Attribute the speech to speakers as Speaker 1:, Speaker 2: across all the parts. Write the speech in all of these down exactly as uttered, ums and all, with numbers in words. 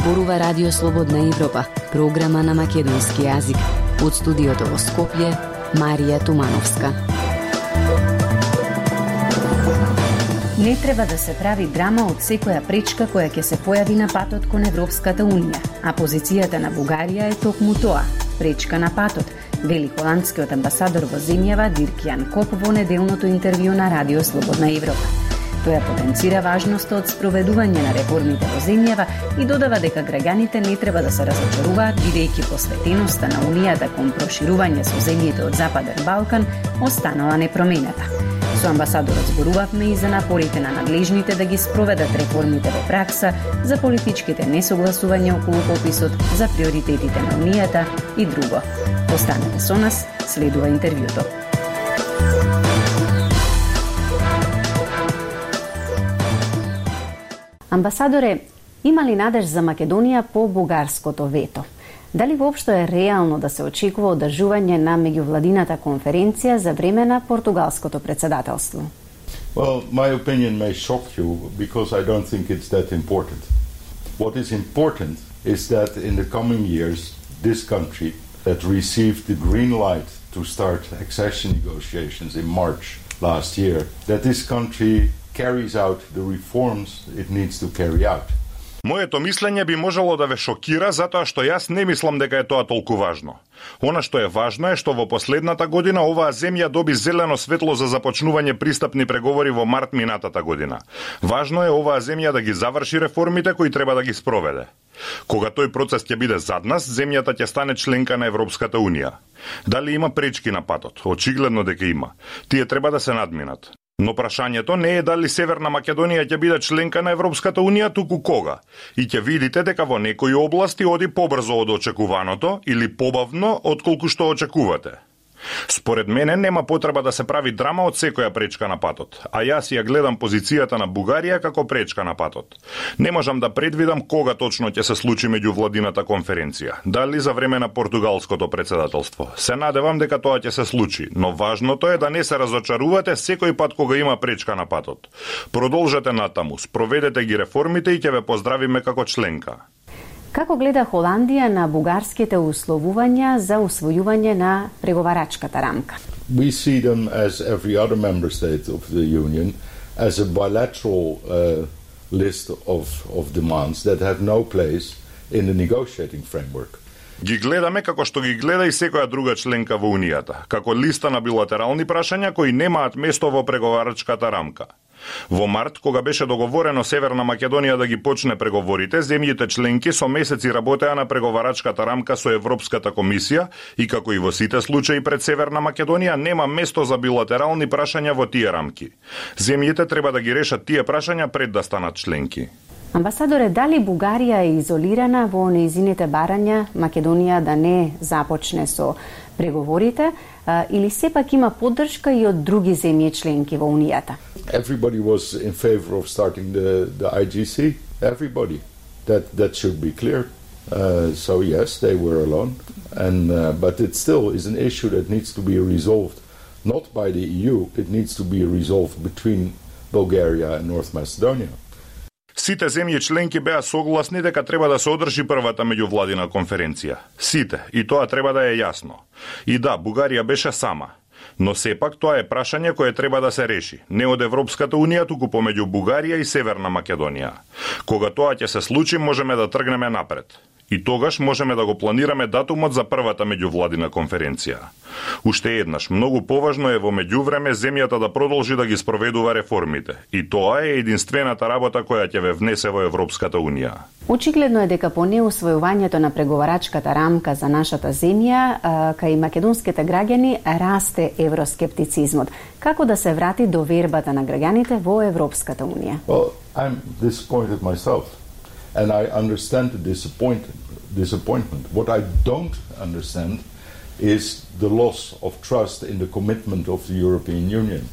Speaker 1: зборува Радио Слободна Европа, програма на македонски јазик. Од студиото во Скопје, Марија Тумановска.
Speaker 2: Не треба да се прави драма од секоја пречка која ќе се појави на патот кон Европската Унија, а позицијата на Бугарија е токму тоа – пречка на патот, вели холандскиот амбасадор во земјава Дирк Јан Коп во неделното интервју на Радио Слободна Европа. Тој потенцира важноста од спроведување на реформите во земјава и додава дека граѓаните не треба да се разочаруваат, бидејќи посветеноста на Унијата кон проширување со земјите од Западен Балкан останала непроменета. Со амбасадорот зборувавме и за напорите на надлежните да ги спроведат реформите во пракса, за политичките несогласувања околу пописот, за приоритетите на Унијата и друго. Останете со нас, следува интервјуто. Амбасадоре, има ли надеж за Македонија по бугарското вето? Дали воопшто е реално да се очекува одржување на меѓувладината конференција за време на португалското председателство?
Speaker 3: Well, my opinion may shock you because I don't think it's that important. What is important is that in the coming years, this country that received the green light to start accession negotiations in March last year, that this country carries out the reforms it needs to carry out.
Speaker 4: Моето мислење би можело да ве шокира затоа што јас не мислам дека е тоа толку важно. Она што е важно е што во последната година оваа земја доби зелено светло за започнување пристапни преговори во март минатата година. Важно е оваа земја да ги заврши реформите кои треба да ги спроведе. Кога тој процес ќе биде зад нас, земјата ќе стане членка на Европската Унија. Дали има пречки на патот? Очигледно дека има. Тие треба да се надминат. Но прашањето не е дали Северна Македонија ќе биде членка на Европската Унија, туку кога. И ќе видите дека во некои области оди побрзо од очекуваното или побавно отколку што очекувате. Според мене нема потреба да се прави драма од секоја пречка на патот, а јас ја гледам позицијата на Бугарија како пречка на патот. Не можам да предвидам кога точно ќе се случи меѓувладината конференција, дали за време на португалското председателство. Се надевам дека тоа ќе се случи, но важното е да не се разочарувате секој пат кога има пречка на патот. Продолжете натаму, спроведете ги реформите и ќе ве поздравиме како членка.
Speaker 2: Како гледа Холандија на бугарските условувања за усвојување на преговарачката рамка?
Speaker 3: We see them as every other member state of the Union as a bilateral uh, list of, of demands that have no place in the negotiating framework.
Speaker 4: Ги гледаме како што ги гледа и секоја друга членка во Унијата, како листа на билатерални прашања кои немаат место во преговарачката рамка. Во март, кога беше договорено Северна Македонија да ги почне преговорите, земјите членки со месеци работеа на преговарачката рамка со Европската комисија и како и во сите случаи пред Северна Македонија нема место за билатерални прашања во тие рамки. Земјите треба да ги решат тие прашања пред да станат членки.
Speaker 2: Амбасадоре, дали Бугарија е изолирана во нејзините барања Македонија да не започне со преговорите, или сепак има поддршка и од други земји членки во Унијата?
Speaker 3: Everybody was in favor of starting the, the I G C. Everybody. That that should be clear. Uh, so yes, they were alone, and uh, but it still is an issue that needs to be resolved, not by the E U. It needs to be resolved between Bulgaria and North Macedonia.
Speaker 4: Сите земји членки беа согласни дека треба да се одржи првата меѓувладина конференција. Сите, и тоа треба да е јасно. И да, Бугарија беше сама. Но сепак тоа е прашање кое треба да се реши, не од Европската Унија, туку помеѓу Бугарија и Северна Македонија. Кога тоа ќе се случи, можеме да тргнеме напред. И тогаш можеме да го планираме датумот за првата меѓувладина конференција. Уште еднаш, многу поважно е во меѓувреме земјата да продолжи да ги спроведува реформите. И тоа е единствената работа која ќе ве внесе во Европската Унија.
Speaker 2: Очигледно е дека по неусвојувањето на преговарачката рамка за нашата земја, кај македонските граѓани расте евроскептицизмот. Како да се врати довербата на граѓаните во Европската Унија?
Speaker 3: Well, I'm disappointed myself. And I understand the disappointment. disappointment. What I don't understand is the loss of trust in the commitment of the European Union.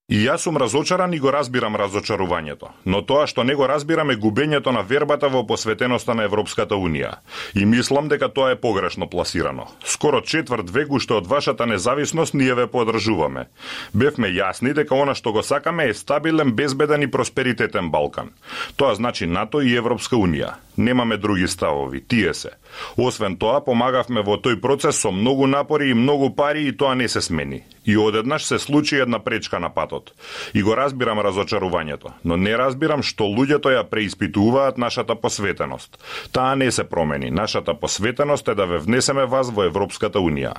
Speaker 4: И јас сум разочаран и го разбирам разочарувањето, но тоа што не го разбирам е губењето на вербата во посветеноста на Европската Унија. И мислам дека тоа е погрешно пласирано. Скоро четврт век уште од вашата независност ние ве подржуваме. Бевме јасни дека она што го сакаме е стабилен, безбеден и просперитетен Балкан. Тоа значи НАТО и Европска Унија. Немаме други ставови, тие се. Освен тоа, помагавме во тој процес со многу напори и многу пари и тоа не се смени. И одеднаш се случи една пречка на патот. И го разбирам разочарувањето, но не разбирам што луѓето ја преиспитуваат нашата посветеност. Таа не се промени. Нашата посветеност е да ве внесеме вас во Европската Унија.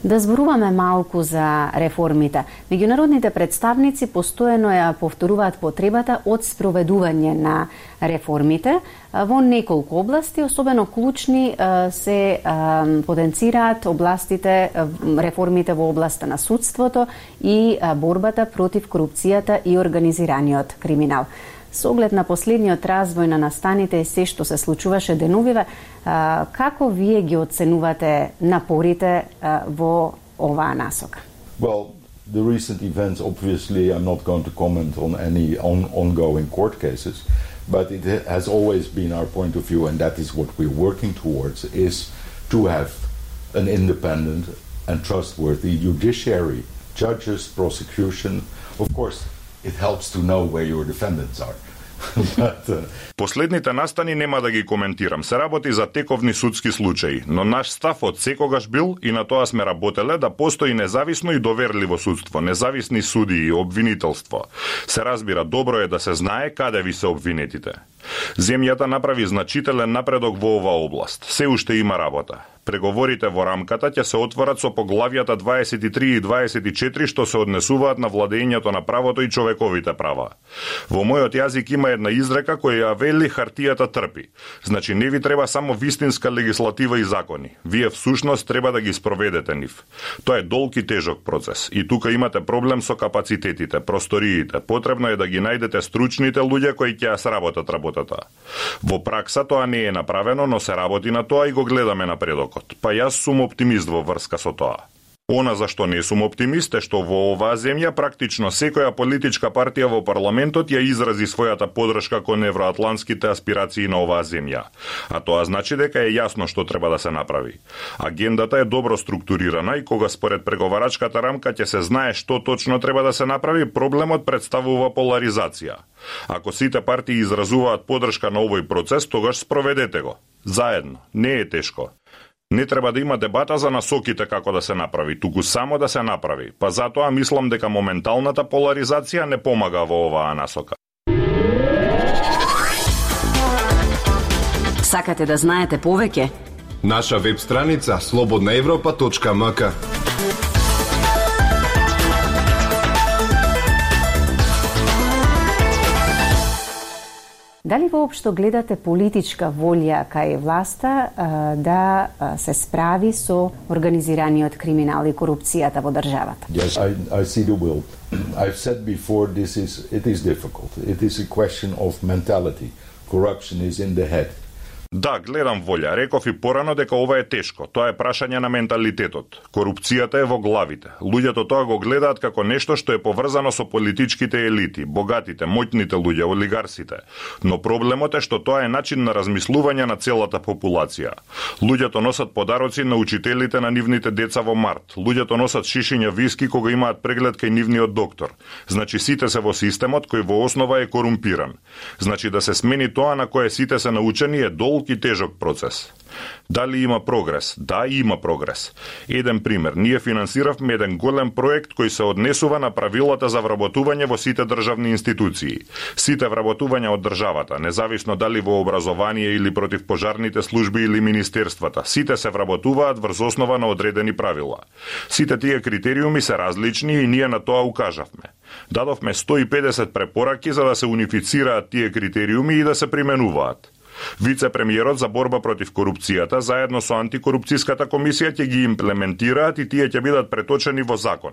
Speaker 2: Да зборуваме малку за реформите. Меѓународните представници постојано ја повторуваат потребата од спроведување на реформите во неколку области, особено клучни се потенцираат областите, реформите во областа на судството и борбата против корупцијата и организираниот криминал. Со оглед на последниот развој на настаните и се што се случуваше деновиве, како вие ги оценувате напорите во оваа насока?
Speaker 3: Well, the recent events, obviously, I'm not going to comment on any on, ongoing court cases, but it has always been our point of view, and that is what we're working towards, is to have an independent and trustworthy judiciary, judges, prosecution. Of course, it helps to know where your defendants are. But, uh...
Speaker 4: Последните настани нема да ги коментирам. Се работи за тековни судски случаи, но наш став од секогаш бил и на тоа сме работеле да постои независно и доверливо судство, независни суди и обвинителство. Се разбира, добро е да се знае каде ви се обвинетите. Земјата направи значителен напредок во оваа област. Се уште има работа. Преговорите во рамката ќе се отворат со поглавјата дваесет и три и дваесет и четири што се однесуваат на владењето на правото и човековите права. Во мојот јазик има една изрека која ја вели хартијата трпи. Значи не ви треба само вистинска легислатива и закони. Вие всушност треба да ги спроведете нив. Тоа е долг и тежок процес. И тука имате проблем со капацитетите, просториите. Потребно е да ги најдете стручните луѓе кои ќе ја сработат работата. Во пракса тоа не е направено, но се работи на тоа и го гледаме напредок. Па јас сум оптимист во врска со тоа. Она за што не сум оптимист е што во оваа земја практично секоја политичка партија во парламентот ја изрази својата поддршка кон евроатлантските аспирации на оваа земја. А тоа значи дека е јасно што треба да се направи. Агендата е добро структурирана и кога според преговарачката рамка ќе се знае што точно треба да се направи, проблемот представува поларизација. Ако сите партии изразуваат поддршка на овој процес, тогаш спроведете го. Заедно. Не е тешко. Не треба да има дебата за насоките како да се направи, туку само да се направи. Па затоа мислам дека моменталната поларизација не помага во оваа насока.
Speaker 1: Сакате да знаете повеќе?
Speaker 5: Наша веб страница слободна европа точка ем ка.
Speaker 2: Дали воопшто гледате политичка волја кај власта да се справи со организираниот криминал и корупцијата во државата?
Speaker 3: Yes, I, I see the will. I've said before, this is it is difficult. It is a question of mentality. Corruption is in the head.
Speaker 4: Да, гледам волја. Реков и порано дека ова е тешко. Тоа е прашање на менталитетот. Корупцијата е во главите. Луѓето тоа го гледаат како нешто што е поврзано со политичките елити, богатите, моќните луѓе, олигарсите. Но проблемот е што тоа е начин на размислување на целата популација. Луѓето носат подароци на учителите на нивните деца во март. Луѓето носат шишиња виски кога имаат преглед кај нивниот доктор. Значи сите се во системот кој во основа е корумпиран. Значи да се смени тоа на кое сите се научени е долг и тежок процес. Дали има прогрес? Да, има прогрес. Еден пример. Ние финансиравме еден голем проект кој се однесува на правилата за вработување во сите државни институции. Сите вработувања од државата, независно дали во образование или против пожарните служби или министерствата, сите се вработуваат врз основа на одредени правила. Сите тие критериуми се различни и ние на тоа укажавме. Дадовме сто и педесет препораки за да се унифицираат тие критериуми и да се применуваат. Вице-премиерот за борба против корупцијата заедно со антикорупцијската комисија ќе ги имплементираат и тие ќе бидат преточени во закон.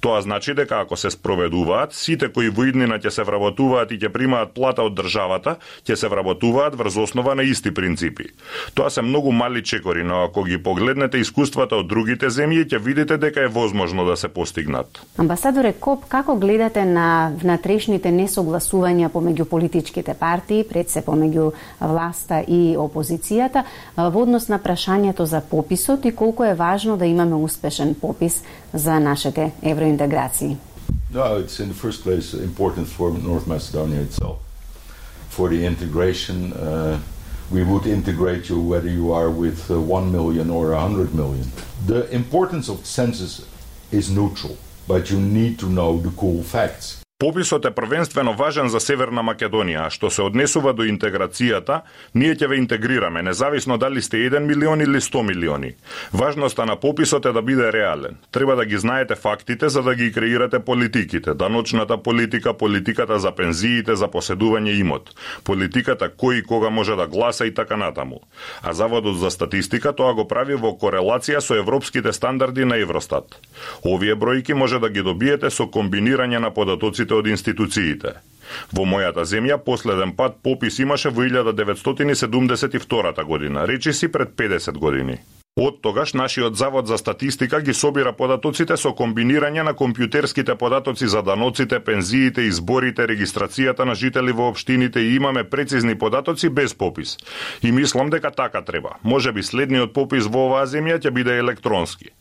Speaker 4: Тоа значи дека ако се спроведуваат, сите кои во иднина ќе се вработуваат и ќе примаат плата од државата, ќе се вработуваат врз основа на исти принципи. Тоа се многу мали чекори, но ако ги погледнете искуствата од другите земји, ќе видите дека е возможно да се постигнат.
Speaker 2: Амбасадоре Коп, како гледате на внатрешните несогласувања помеѓу политичките партии, пред се помеѓу власта и опозицијата, во однос на прашањето за пописот и колку е важно да имаме успешен попис за нашите евроинтеграции?
Speaker 3: No, it's in the first place important for North Macedonia itself. For the integration, uh, we would integrate you whether you are with uh, one million or a hundred million. The importance of census is neutral, but you need to know the cool facts.
Speaker 4: Пописот е првенствено важен за Северна Македонија, а што се однесува до интеграцијата, ние ќе ве интегрираме, независно дали сте еден милион или сто милиони. Важноста на пописот е да биде реален. Треба да ги знаете фактите за да ги креирате политиките, даночната политика, политиката за пензиите, за поседување имот, политиката кој и кога може да гласа и така натаму. А Заводот за статистика тоа го прави во корелација со европските стандарди на Евростат. Овие бројки може да ги добиете со комбинирање на податоците од институциите. Во мојата земја последен пат попис имаше во илјада деветстотини седумдесет и втора година, речиси пред педесет години. Од тогаш нашиот Завод за статистика ги собира податоците со комбинирање на компјутерските податоци за даноците, пензиите, изборите, регистрацијата на жители во општините и имаме прецизни податоци без попис. И мислам дека така треба. Можеби следниот попис во оваа земја ќе биде електронски.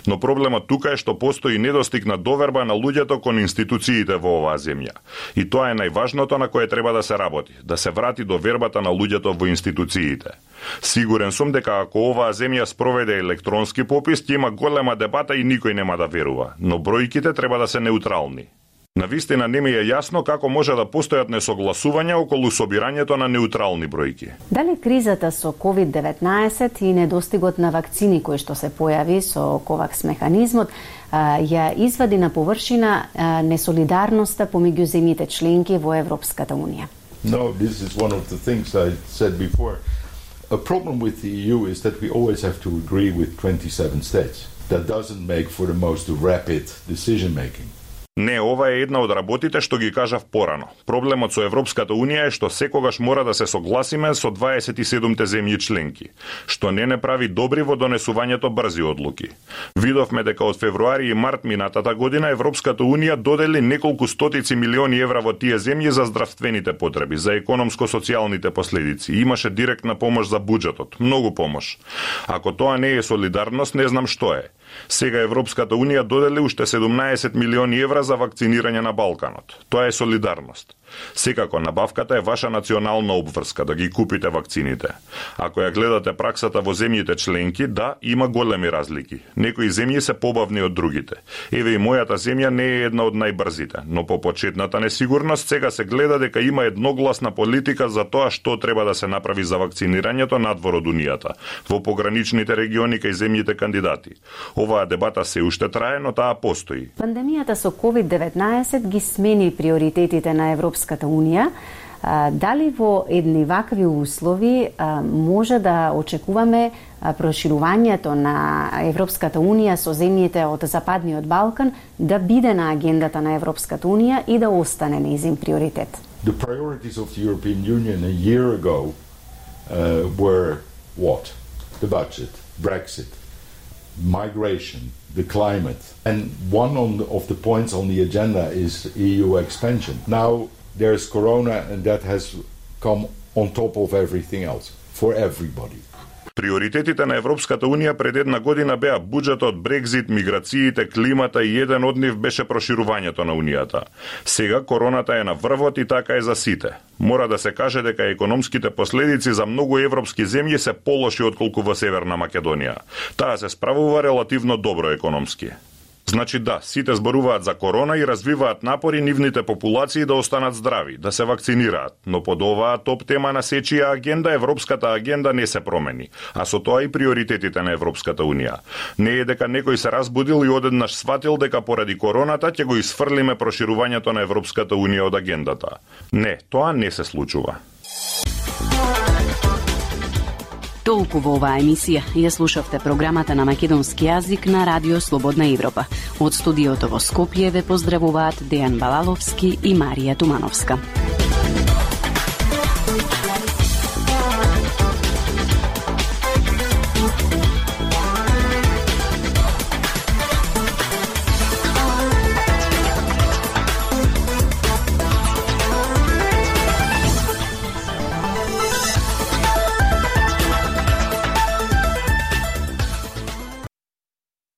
Speaker 4: Но проблемот тука е што постои недостиг на доверба на луѓето кон институциите во оваа земја. И тоа е најважното на кое треба да се работи, да се врати довербата на луѓето во институциите. Сигурен сум дека ако оваа земја спроведе електронски попис, ќе има голема дебата и никој нема да верува, но бројките треба да се неутрални. Навистина не ми е јасно како може да постојат несогласувања околу собирањето на неутрални бројки.
Speaker 2: Дали кризата со ковид деветнаесет и недостигот на вакцини кој што се појави со ковакс механизмот ја извади на површина несолидарноста помеѓу земјите членки во Европската унија?
Speaker 3: No, this is one of the things I said before. A problem with the E U is that we always have to agree with twenty-seven states. That doesn't make for the most rapid decision making.
Speaker 4: Не, ова е една од работите што ги кажав порано. Проблемот со Европската Унија е што секогаш мора да се согласиме со дваесет и седумте земји членки, што не не прави добри во донесувањето брзи одлуки. Видовме дека од февруари и март минатата година Европската Унија додели неколку стотици милиони евра во тие земји за здравствените потреби, за економско-социјалните последици. Имаше директна помош за буџетот, многу помош. Ако тоа не е солидарност, не знам што е. Сега Европската Унија додели уште седумнаесет милиони евра за вакцинирање на Балканот. Тоа е солидарност. Секако, набавката е ваша национална обврска да ги купите вакцините. Ако ја гледате праксата во земјите членки, да, има големи разлики. Некои земји се побавни од другите. Еве и мојата земја не е една од најбрзите, но по почетната несигурност сега се гледа дека има едногласна политика за тоа што треба да се направи за вакцинирањето надвор од Унијата, во пограничните региони кај земјите кандидати. Оваа дебата се уште трае, но таа постои.
Speaker 2: Пандемијата со ковид деветнаесет ги смени приоритетите на Европската Унија. Дали во едни вакви услови може да очекуваме проширувањето на Европската Унија со земјите од Западниот Балкан да биде на агендата на Европската Унија и да остане нејзин приоритет?
Speaker 3: The priorities of the European Union a year ago uh, were what? The budget, Brexit, migration, the climate. And one on the, of the points on the agenda is E U expansion. Now there's Corona and that has come on top of everything else for everybody.
Speaker 4: Приоритетите на Европската Унија пред една година беа буџетот, Брекзит, миграциите, климата и еден од нив беше проширувањето на Унијата. Сега короната е на врвот и така е за сите. Мора да се каже дека економските последици за многу европски земји се полоши отколку во Северна Македонија. Таа се справува релативно добро економски. Значи да, сите зборуваат за корона и развиваат напори нивните популации да останат здрави, да се вакцинираат, но под оваа топ тема на сечија агенда, Европската агенда не се промени, а со тоа и приоритетите на Европската Унија. Не е дека некој се разбудил и одеднаш сватил дека поради короната ќе го исфрлиме проширувањето на Европската Унија од агендата. Не, тоа не се случува.
Speaker 1: Толку во оваа емисија ја слушавте програмата на македонски јазик на Радио Слободна Европа. Од студиото во Скопје ве поздравуваат Дејан Балаловски и Марија Тумановска.